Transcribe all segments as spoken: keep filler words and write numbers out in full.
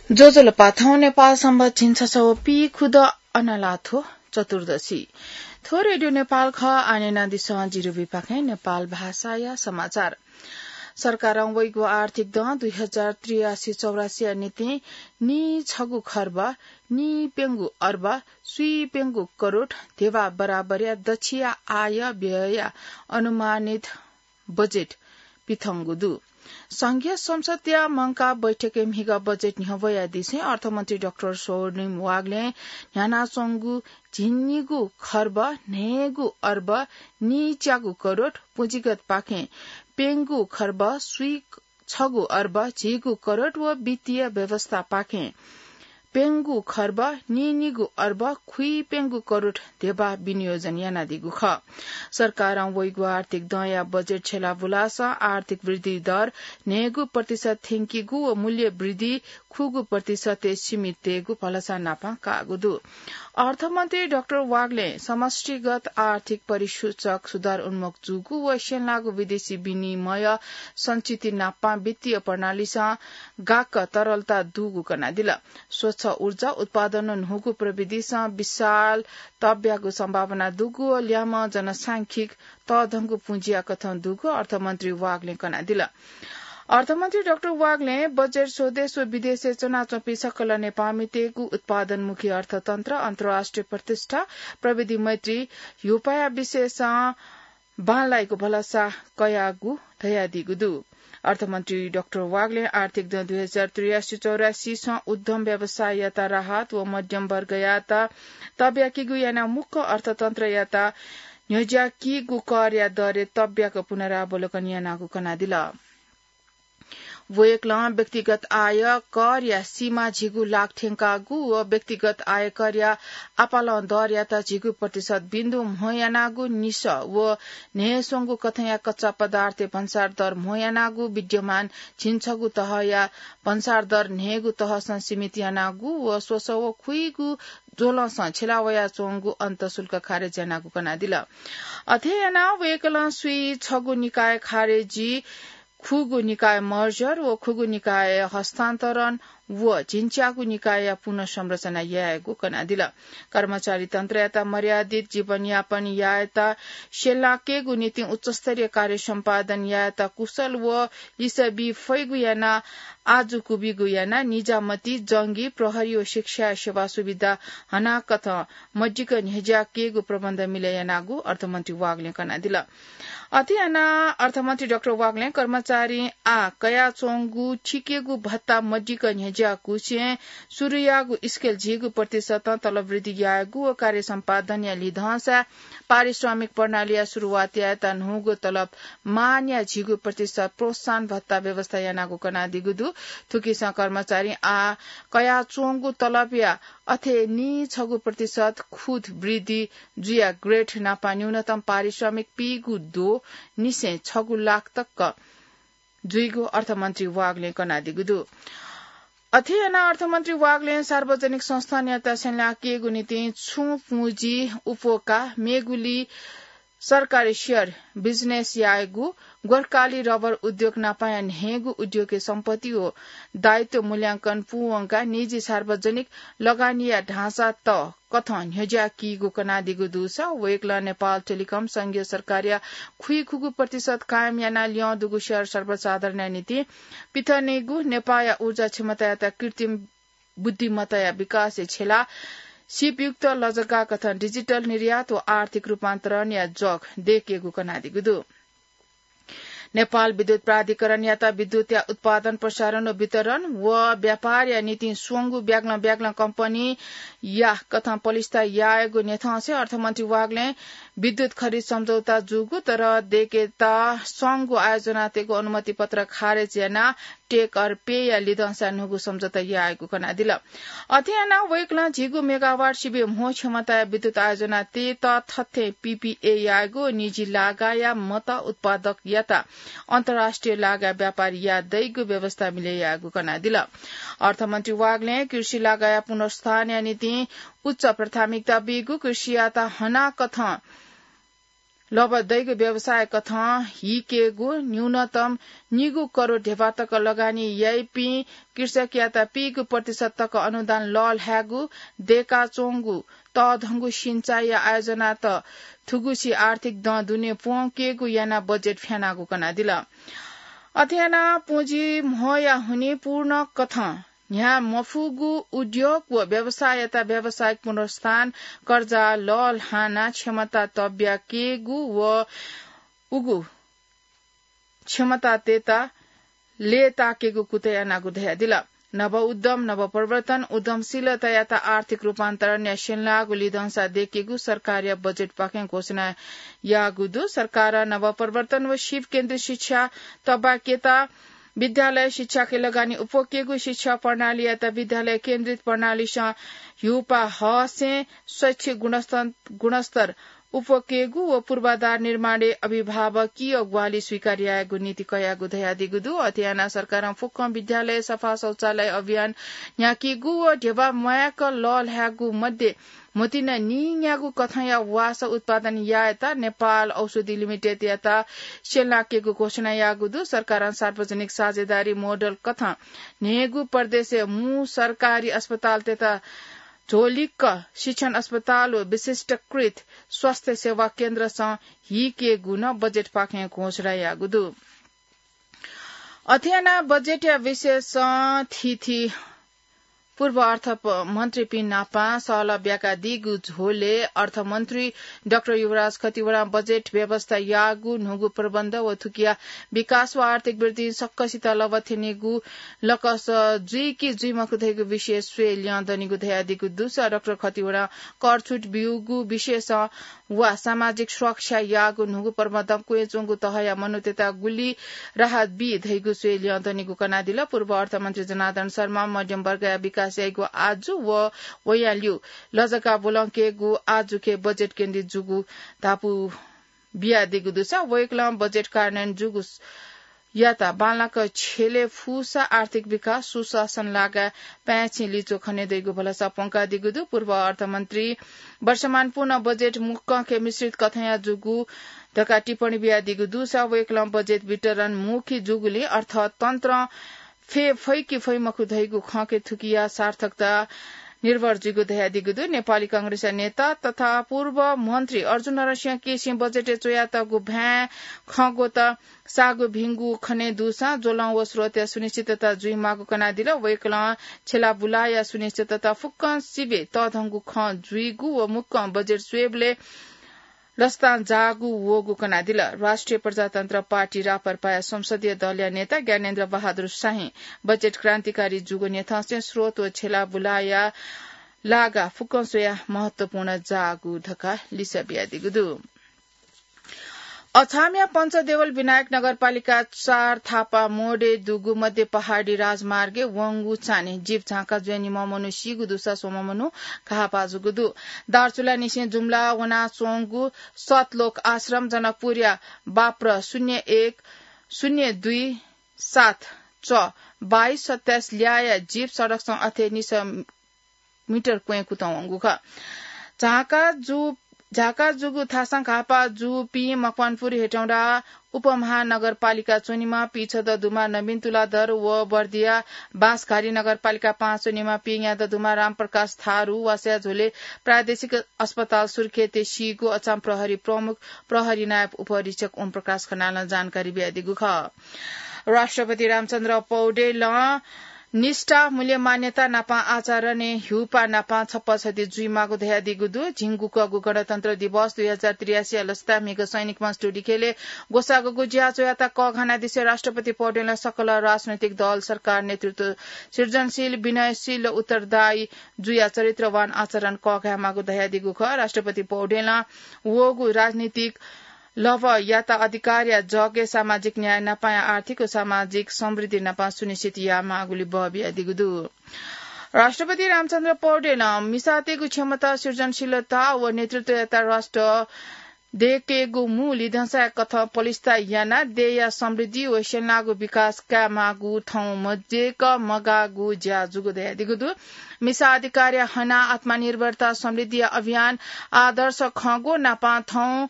ज्वजलपा, थौं नेपाल संवत् झिंछसः व पीखुदँ अनालाथ्व चतुर्दशी। थ्व रेडियो नेपाल खः। आः न्यनादिसँ जिरुबिपाखें नेपाल भाषाया समाचार। सरकारं वइगु आर्थिक दँ दुई हजार त्रियासी चौरासीया निंतिं नीछगू खर्ब नीप्यंगू अर्ब स्वीप्यंगू करोड ध्यबा बराबरया दच्छिया आय व्ययया अनुमानित बजेट पिथंगु दु। संघीय संसदया मंकाः बैठकय् म्हिगः बजेट न्ह्यब्वयादिसें अर्थमन्त्री डाक्टर स्वर्णिम वाग्लें न्ह्यानाच्वंगु झिंनिगू खर्ब न्हय्गू अर्ब नीच्यागू करोड, पुँजीगतपाखें प्यंगू खर्ब स्वीछगू अर्ब झिगू करोड व वित्तीय व्यवस्थापाखें प्यंगू खर्ब नीनिगू अर्ब खुइप्यंगू करोड ध्यबा विनियोजन यानादीगु खः। सरकारं वइगु आर्थिक दँया बजेट छ्यला बुलासं आर्थिक वृद्धि दर न्हय्गू प्रतिशत थ्यंकीगु व मूल्य वृद्धि खुगू प्रतिशतय् सीमित तयेगु भलसा नापं काःगु दु। अर्थमन्त्री डाक्टर वाग्लें समष्टिगत आर्थिक परिसूचक सुधार उन्मुख जूगु व स्यंलाःगु विदेशी विनिमय संचिति नापं वित्तीय प्रणालीसं गाक्क तरलता दुगु कनादिल। स्वच्छ ऊर्जा उत्पादन व न्हूगु प्रविधिसं विशाल तब्यागु सम्भावना दुगु व ल्याम्ह जनसांख्यिक तःधंगु पुँजिया कथं दुगु अर्थमन्त्री वाग्लें कनादिल। अर्थमन्त्री डाक्टर वाग्लें बजेट स्वदेश व विदेशय् च्वनाच्वंपिं सकल नेपाःमितय्गु उत्पादनमुखी अर्थतन्त्र, अन्तर्राष्ट्रिय प्रतिष्ठा, प्रविधि मैत्री ह्यूपाया विषयसं बांलाइगु भलसा कयागु धयादीगु दु। अर्थमन्त्री डाक्टर वाग्लें आर्थिक दँ दुई हजार त्रियासी चौरासीसं उद्यम व्यवसाययात राहत व मध्यम वर्गयात तब्याकीगु यानाः मुक्क अर्थतन्त्रयात न्ह्यज्याकीगु करया दरय् तब्याक पुनरावलोकन यानागु कनादिल। वय्कलं व्यक्तिगत आय करया सीमा झिगू लाख थ्यंकागु व व्यक्तिगत आयकरया आपालं दरयात झिगू प्रतिशत बिन्दु म्हो यानागु, निसः व न्हय्स्वंगू कथंया कच्चा पदार्थय् भन्सार दर म्हो यानागु, विद्यमान झिंछगू तहया भन्सार दर न्हय्गू तहसं सीमित यानागु व स्वसः व खुइगू ज्वलंसं छ्यला वयाच्वंगु अन्तःशुल्क खारेज यानागु कनादिल। अथे यानाः वय्कलं स्वीछगू निकाय खारेजी, खुगू निकाय मर्जर व खुगू निकाय हस्तान्तरण व झिंच्यागू निकायया पुनर्संरचना यायेगु कनादिल। कर्मचारी तन्त्रयात मर्यादित जीवनयापन यायेत स्यलाकेगु निंतिं उच्चस्तरीय कार्य सम्पादन यायेत कुशल व लिसः बी फइगु यानाः आजु कुबिगु यानाः निजामती, जंगी, प्रहरी व शिक्षा सेवा सुविधा हनाकथं मजिक न्ह्यज्याकेगु प्रबन्ध मिले यानागु अर्थमन्त्री वाग्लें कनादिल। अथे यानाः अर्थमन्त्री डाक्टर वाग्लें कर्मचारीं आः कयाच्वंगु थिकेगु भत्ता मजिक न्ह्यज्याकुसें सुरुयागु स्केल झिगू प्रतिशतं तलब वृद्धि यायेगु व कार्य सम्पादनया लिधंसा पारिश्रमिक प्रणालीया सुरुवात यायेत न्हूगु तलब मानया झिगू प्रतिशत प्रोत्साहन भत्ता व्यवस्था यानागु कनादीगु दु। थुकिसं कर्मचारीं आः कयाच्वंगु तलबया अथे नीछगू प्रतिशत खुद वृद्धि जुयाः ग्रेड नापं न्यूनतम पारिश्रमिक पीगू द्वः निसें छगू लाख तक जुइगु अर्थमन्त्री वाग्लें कनादीगु दु। अथे यानाः अर्थमन्त्री वाग्लें सार्वजनिक संस्थानयात स्यलाकेगु निंतिं छुं पुँजी उप्वःकाः मेगुलि सरकारी सेयर बिजनेस यायेगु, गोर्खाली रबर उद्योग नापंया न्हय्गू उद्योगया सम्पत्ति व दायित्व मूल्यांकन पूवंकाः निजी सार्वजनिक लगानीया ढाँचात कथं न्ह्यज्याकीगु कनादीगु दुसा वय्कलं नेपाल टेलिकम संघीय सरकारया खुइखुगू प्रतिशत कायम यानाः ल्यं दुगु सेयर सर्वसाधारणया निंतिं पिथनेगु, नेपाःया ऊर्जा क्षमतायात कृत्रिम बुद्धिमत्ताया विकासय् छ्यलाः सिपयुक्त लजगाः कथं डिजिटल निर्यात व आर्थिक रूपान्तरणया जग दयेकेगु कनादीगु दु। नेपाल विद्युत प्राधिकरणयात विद्युतया उत्पादन, प्रसारण व वितरण व व्यापारया निंतिं स्वंगू ब्यागलं ब्यागलं कम्पनीया कथं पलिस्था यायेगु न्ह्यथंसे अर्थमन्त्री वाग्लें विद्युत खरिद सम्झौता जूगु तर दयेकेत स्वंगू आयोजनातय्गु अनुमति पत्र खारेज यानाः टेक अर पेया लिधंसा न्हूगु सम्झौता यायेगु कनादिल। अथे यानाः वय्कलं झिगू मेगावाट सिबें म्हो क्षमताया विद्युत आयोजना तयेत थथें पीपीए यायेगु निजी लागाया मत उत्पादकयात अन्तर्राष्ट्रिय लागा व्यापार याये दइगु व्यवस्था मिले यायेगु कनादिल। अर्थमन्त्री वाग्लें कृषि लागाया पुनरुत्थानया निंतिं उच्च प्राथमिकता बीगु, कृषियात हनाकथं लभ दइगु व्यवसाय कथं हिकेगु, न्यूनतम निगू करोड ध्यबा तक लगानी याइपिं कृषकयात पीगू प्रतिशत तक अनुदान लःल्हायेगु, दय्काच्वंगु तःधंगु सिँचाइया आयोजनात थुगुसी आर्थिक दँ दुने प्वंकेगु यानाः बजेट फ्यानागु कनादिल। अथे यानाः पुँजी म्होया हुनिं पूर्ण कथं न्ह्याः मफुगु उद्योग व व्यवसाययात व्यावसायिक पुनरुत्थान, कर्जा लःल्हानाः क्षमता तब्याकेगु व उगु क्षमतातय्त लय्ताकेगु कुतः यानागु धयादिल। नव उद्यम, नव प्रवर्तन, उद्यमशीलतायात आर्थिक रूपान्तरणया स्यंलाःगु लिधंसा दय्केगु सरकारया बजेटपाखें घोषणा याःगु दु। सरकारं नव प्रवर्तन व सीप केन्द्रित शिक्षा तब्याकेत विद्यालय शिक्षाके लगानी उप्वकेगु, शिक्षा प्रणालीयात विद्यालय केन्द्रित प्रणालीसं ह्यूपाः हःसें शैक्षिक गुणस्तर, गुणस्तर उप्वकेगु व पूर्वाधार निर्माणय् अभिभावकीय ग्वाहालि स्वीकार यायेगु नीति कयागु धयादीगु दु। अथे यानाः सरकारं फुक्कं विद्यालय सफा शौचालय अभियान न्ह्याकीगु व ध्यबा म्वायेक लःल्हायेगु मध्ये म्होतिना नीन्यागू कथंया वासः उत्पादन यायेत नेपाल औषधि लिमिटेडयात स्यंलाकेगु घोषणा याःगु दु। सरकारं सार्वजनिक साझेदारी मोडल कथं न्हय्गू प्रदेशय् मू सरकारी अस्पतालतय्त झोलिक्क शिक्षण अस्पताल व विशिष्टकृत स्वास्थ्य सेवा केन्द्रसं हिकेगु नं बजेटपाखें घोषणा याःगु दु। अथे यानाः बजेटया विषयसं थीथी पूर्व अर्थ प-, मन्त्रीपिं नाप सहलह ब्याकादीगु झ्वलय् अर्थमन्त्री डाक्टर युवराज खतिवडां बजेट व्यवस्था याःगु न्हूगु प्रबन्ध व थुकिया विकास व आर्थिक वृद्धि सकसित लभा थ्यनीगु लकस जुइ कि जुइ मखु धइगु विषय स्वये ल्यं दनीगु धयादीगु दुसा डाक्टर खतिवडां कर छुट ब्यूगु विषयसं वा सामाजिक सुरक्षा याःगु न्हूगु प्रबन्धं क्वय् च्वंगु तहया मनूतय्त गुलि राहत बी धइगु स्वये ल्यं दनीगु कनादिल। पूर्व अर्थमन्त्री जनार्दन शर्मा मध्यम वर्गया विकास याइगु आजु व वयां ल्यू लजगाः ब्वलंकेगु आजुके बजेट केन्द्रित जूगु धापू बियादीगु दुसा वय्कलं बजेट कार्यान्वयन जूगु यात बांलाक छ्यले फुसा आर्थिक विकास, सुशासन लागाय् पाय्छि लिच्वः खने दइगु भलसा प्वंकादीगु दु। पूर्व अर्थमन्त्री वर्षमान पूर्ण बजेट मुक्कंके मिश्रित कथंया जूगु धकाः टिप्पणी बियादीगु दुसा वय्कलं बजेट वितरण मुखी जूगुलिं अर्थतन्त्रं फे फइ कि फइ मखु धइगु खंके थुकिया सार्थकता निर्भर जुइगु धयादीगु दु। नेपाली कांग्रेसया नेता तथा पूर्व मन्त्री अर्जुन नरसिंह केसीं बजेटय् च्वयातःगु भाय् खँग्वःत साःगु भिंगु खने दुसां ज्वलं व स्रोतया सुनिश्चितता जुइमाःगु कनादिल। वय्कलं छ्यला बुलाया सुनिश्चितता फुक्कं सिबें तःधंगु खँ जुइगु व मुक्कं बजेट स्वयेबलय् लसतां जाःगु वःगु कनादिल। राष्ट्रिय प्रजातन्त्र पार्टी राप्रपाया संसदीय दलया नेता ज्ञानेन्द्र बहादुर शाहीं बजेट क्रान्तिकारी जूगु न्ह्यथंसें स्रोत व छ्यला बुलाया लागा फुक्कं स्वयाः महत्वपूर्ण जाःगु धकाः लिसः बियादीगु दु। अछामया पञ्चदेवल विनायक नगरपालिका चार थापा मोडे दुगु मध्य पहाडी राजमार्गय् वंगु चान्हय् जीप झांका जुया निम्ह मनू सीगु दुसा स्वम्ह मनू घाःपाः जूगु दु। दार्चुलानिसें जुम्ला वनाच्वंगु सतलोक आश्रम जनकपुरया बाप्र शून्य एक शून्य दुई सात च बाइस सत्ताइस ल्याःया जीप सडकसं अथे निसः मिटर क्वँय् कुतः वंगु खः। झांका जु-, झांका जूगु थासं घाःपाः जूपिं मकवानपुर हेटौंडा उपमहानगरपालिका च्वनीम्ह पीछदँ दुम्ह नवीन तुलाधर व बर्दिया बाँसघारी नगरपालिका पाँच च्वनीम्ह पीन्यादँ दुम्ह रामप्रकाश थारु वासः झ्वलय् प्रादेशिक अस्पताल सुर्खेतय् सीगु अछाम प्रहरी प्रमुख प्रहरी नायब उपरीक्षक ओम प्रकाश खनालं जानकारी बियादीगु खः। राष्ट्रपति रामचन्द्र पौडेलं निष्ठा, मूल्य मान्यता नापं आचरणय् ह्यूपाः नापं छप्पा छधी जुइमाःगु धयादीगु दु। झिंगुकःगु गणतन्त्र दिवस दुई हजार त्रियासीया लसताय् म्हिगः सैनिक मञ्च टुडिखेलय् ग्वसाःगु ज्या च्वयात कःघानादिसें राष्ट्रपति पौडेलं सकल राजनैतिक दल, सरकार, नेतृत्व सृजनशील, विनयशील र उत्तरदायी जुया चरित्रवान आचरण कःघायेमाःगु धयादीगु खः। राष्ट्रपति पौडेलं वःगु राजनीतिक लभयात अधिकारया जगय् सामाजिक न्याय नापाया आर्थिक व सामाजिक समृद्धि नापं सुनिश्चित यायेमाःगुलि बः बियादीगु दु। राष्ट्रपति रामचन्द्र पौडेलं मिसातय्गु क्षमता, सृजनशीलता व नेतृत्वयात राष्ट्र दय्केगु मू लिधंसाया कथं पलिस्था यानाः देय्या समृद्धि व स्यंलाःगु विकास कायेमाःगु थौं मज्यय्क मगाःगु ज्या जूगु धयादीगु दु। मिसा अधिकारया हनाः आत्मनिर्भरता समृद्धिया अभियान आदर्श खंगु नापं थौं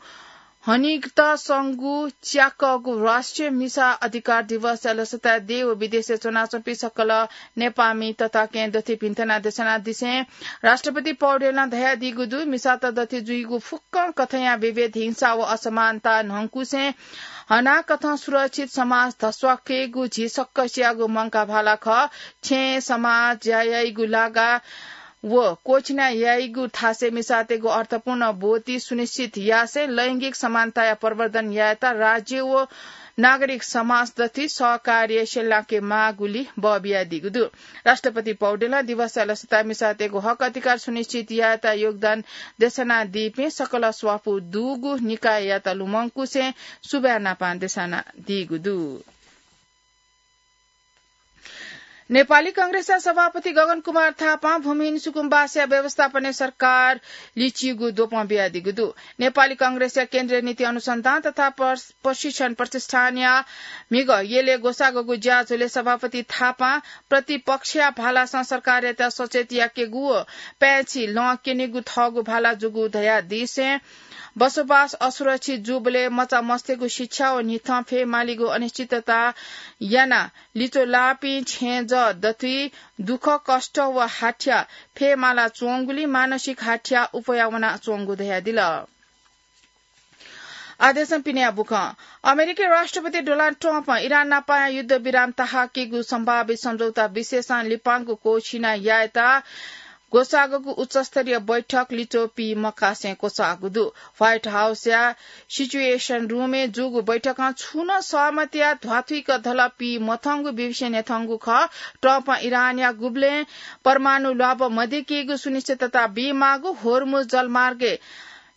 हनिगत संगु च्याकःगु राष्ट्रिय मिसा अधिकार दिवसया लसताय् देय् व विदेशय् च्वनाच्वंपिं सकल नेपाःमि तताकेहेँ दथुइ भिन्तुना देछानादिसें राष्ट्रपति पौडेलं धयादीगु दु, मिसात दथुइ जुइगु फुक्कं कथंया विभेद, हिंसा व असमानता न्हंकुसें हनाकथं सुरक्षित समाज धस्वाकेगु झी सकसियागु मंकाः भाला खः। छेँ समाज ज्या याइगु लागा व क्वःछिना याइगु थासय् मिसातय्गु अर्थपूर्ण ब्वति सुनिश्चित यासें लैंगिक समानताया प्रवर्धन यायेत राज्य व नागरिक समाज दथुइ सहकार्य स्यलाके माःगुलि बः बियादीगु दु। राष्ट्रपति पौडेलं दिवसया लसताय् मिसातय्गु हक अधिकार सुनिश्चित यायेत योगदान देछानादीपिं सकल स्वापू दुगु निकाययात लुमंकुसें सुभाय् नापां देछानादीगु दु। नेपाली कांग्रेसया सभापति गगन कुमार थापां भूमिहीन सुकुम्बासीया व्यवस्थापनय् सरकार लिचिगु द्वपं बियादीगु दु। नेपाली कांग्रेसया केन्द्रीय नीति अनुसन्धान तथा प्रश-, प्रशिक्षण प्रतिष्ठानया म्हिगः यलय् ग्वसाःगु ज्याझ्वलय् सभापति थापां प्रतिपक्षया भालासं सरकारयात सचेत याकेगु व पाय्छि लँ क्यनेगु थःगु भाला जूगु धयादीसें बसोबास असुरक्षित जूबलय् मचामस्तय्गु शिक्षा व न्हिथं फय् मालीगु अनिश्चितता यानाः लिच्वः लाःपिं छेँजः दथुइ दुःख कष्ट व हाथ्या फय् माला च्वंगुलिं मानसिक हाथ्या उफया वनाच्वंगु धयादिल। आदेशं पिनेया बुखँ। अमेरिकी राष्ट्रपति डोनाल्ड ट्रम्पं इरान नापं युद्ध विराम तहाकेगु सम्भावित सम्झौता विषयसं लिपांगु क्वःछिना यायेत ग्वसाःगु उच्चस्तरीय बैठक लिच्वः पी मकासें क्वचाःगु दु। व्हाइट हाउसया सिचुएसन रूमय् जूगु बैठकं छुं नं सहमतिया ध्वाथुइक धल पी मथंगु विवशे न्ह्यथंगु खः। ट्रम्पं इरानया गुबलें परमाणु ल्वाभः मदय्केगु सुनिश्चितता बीमाःगु, होर्मुज जलमार्गय्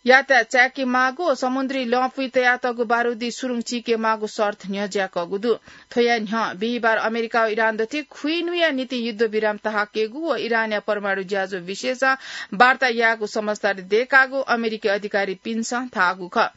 यातायात चाय्के माःगु व समुद्री लँपुइ तयातःगु बारुदी सुरुङ चीके माःगु शर्त न्ह्यज्याकःगु दु। थ्वया न्ह्यः बिहिबार अमेरिका व इरान दथुइ खुइन्हुया निंतिं युद्ध विराम तहाकेगु व इरानया परमाणु ज्याझ्वः विषयसं वार्ता यायेगु समझदारी दय्कागु अमेरिकी अधिकारीपिन्सं धाःगु खः।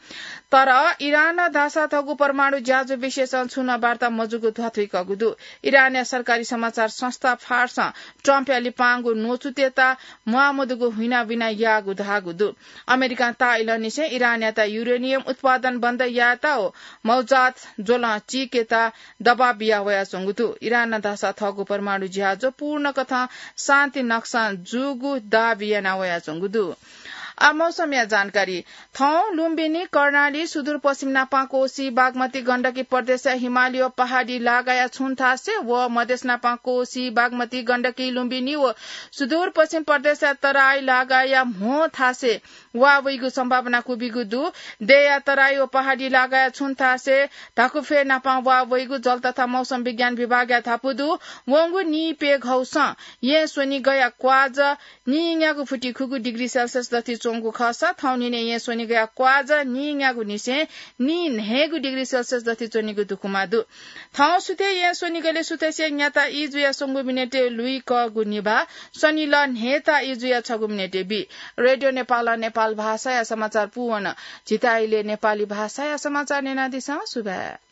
तर इरानं धाःसा थःगु परमाणु ज्याझ्वः विषयसं छुं नं वार्ता मजूगु ध्वाथुइकःगु दु। इरानया सरकारी समाचार संस्था फार्सं ट्रम्पया लिपांगु न्वचुतय्त म्वाःमदुगु हुइनाबिना याःगु धाःगु दु। अमेरिकां ताःइलंनिसें इरानयात युरेनियम उत्पादन बन्द यायेत व मौजात ज्वलं चीकेत दबाब बिया वयाच्वंगु दु। इरानं धाःसा थःगु परमाणु ज्याझ्वः पूर्णकथं शान्ति नक्सां जूगु दाबी याना वयाच्वंगु दु। आ मौसमया जानकारी। थौं लुम्बिनी, कर्णाली, सुदूरपश्चिम नापं कोशी, बागमती, गण्डकी प्रदेशया हिमाली व पहाडी लागाया छुं थासय् व मधेस नापं कोशी, बागमती, गण्डकी, लुम्बिनी व सुदूरपश्चिम प्रदेशया तराई लागाया म्हो थासय् वा वइगु सम्भावना क्वबिगु दु। देय्या तराई व पहाडी लागाया छुं थासय् धाकुफय् नापं वा वइगु जल तथा मौसम विज्ञान विभागया धापू दु। वंगु नीप्यघौसं येँ स्वनिगःया क्वाज नीन्यागू फुति खुगू डिग्री सेल्सियस दथुइ च्वंगु खःसा थौं न्हिनय् येँ स्वनिगःया क्वाज नीन्यागूनिसें नीन्हय्गू डिग्री सेल्सियस दथुइ च्वनीगु दुकुमा दु। थौं सुथय् येँ स्वनिगलय् सुथसिया न्याता ई जुया स्वंगू मिनेटय् लुइकःगु निभाः, सनिलः न्हय्ता ई जुया छगू मिनेटय् बी। रेडियो नेपालं नेपाल भाषाया समाचार पूवन। झीत इलय् नेपाली भाषाया समाचार न्यनादिसँ। सुभाय्।